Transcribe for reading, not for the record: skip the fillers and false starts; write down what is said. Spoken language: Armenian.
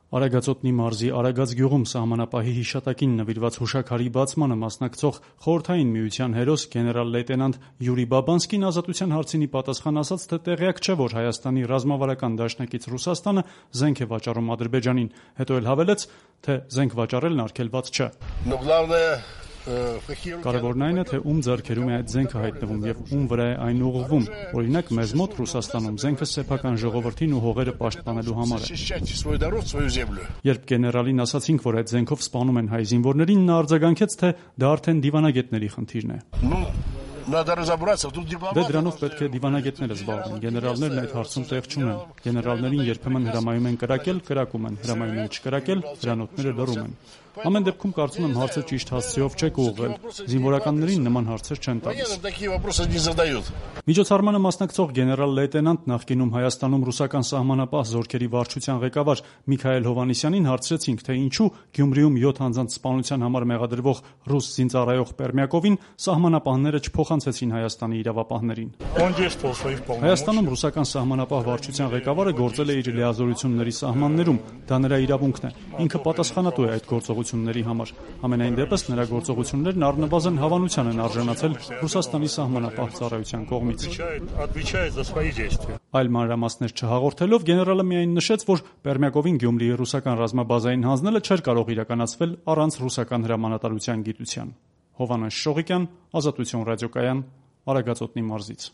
Արագածոտնի մարզի Արագած գյուղում սահմանապահի հիշատակին նվիրված հուշաքարի բացմանը մասնակցող Խորհրդային Միության հերոս գեներալ-լեյտենանտ Յուրի Բաբանսկին ազատության հարցինի պատասխան ասաց, թե տեղյակ չէ, որ Հայաստանի ռազմավարական դաշնակից Ռուսաստանը զենք է վաճառում Ադրբեջանին, հետո էլ հավելեց, թե զենք վաճառելն արգելված չէ։ Կարևորն այն է, թե ում ձեռքերում է այդ զենքը հայտնվում եւ ում վրա է այն ուղղվում։ Օրինակ, մեզ մոտ Ռուսաստանում զենքը սեփական ժողովրդին ու հողերը պաշտպանելու համար է։ Երբ գեներալին ասացինք, որ այդ զենքով սպանում են հայ զինվորներին, նա արձագանքեց, թե դա արդեն դիվանագետների խնդիրն է։ Դե դրանով պետք է դիվանագետները զբաղվեն, գեներալներն այդ հարցում տեղ չունեն։ Գեներալներին երբեմն հրամայում են կրակել, կրակում են, հրամայում են չկրակել, հրանոթները լռում են։ Ամեն դեպքում կարծում եմ հարցը ճիշտ հասցեով չեք ուղղել, զինվորականներին նման հարցեր չեն տալիս։ Միջոցառմանը մասնակցող գեներալ-լեյտենանտ նախկինում Հայաստանում ռուսական սահմանապահ զորքերի վարչության ղեկավար Միքայել Հովհաննիսյանին հարցրեցինք, թե ինչու Գյումրիում 7 անձանց սպանության համար մեղադրվող ռուս զինծառայող Պերմյակովին սահմանապահները չփոխանցեցին Հայաստանի իրավապահներին։ Հայաստանում ռուսական սահմանապահ վարչության ղեկավարը գործել է իր լիազորությունների սահմաններում, դա նրա իրավունքն է, ինքը պատասխանատու է այդ գործողությունների համար։ Համենայն դեպս նրա գործողություններն առնվազն հավանության են արժանացել Ռուսաստանի սահմանապահ ծառայության կողմից։ Այլ մանրամասներ չհաղորդելով գեներալը միայն նշեց, որ Պերմյակովին Գյումրիի ռուսական ռազմաբազային հանձնելը չէր կարող իրականացվել առանց ռուսական հրամանատարության գիտության։ Հովհաննես Շողիկյան, Ազատություն ռադիոկայան, Արագածոտնի մարզից։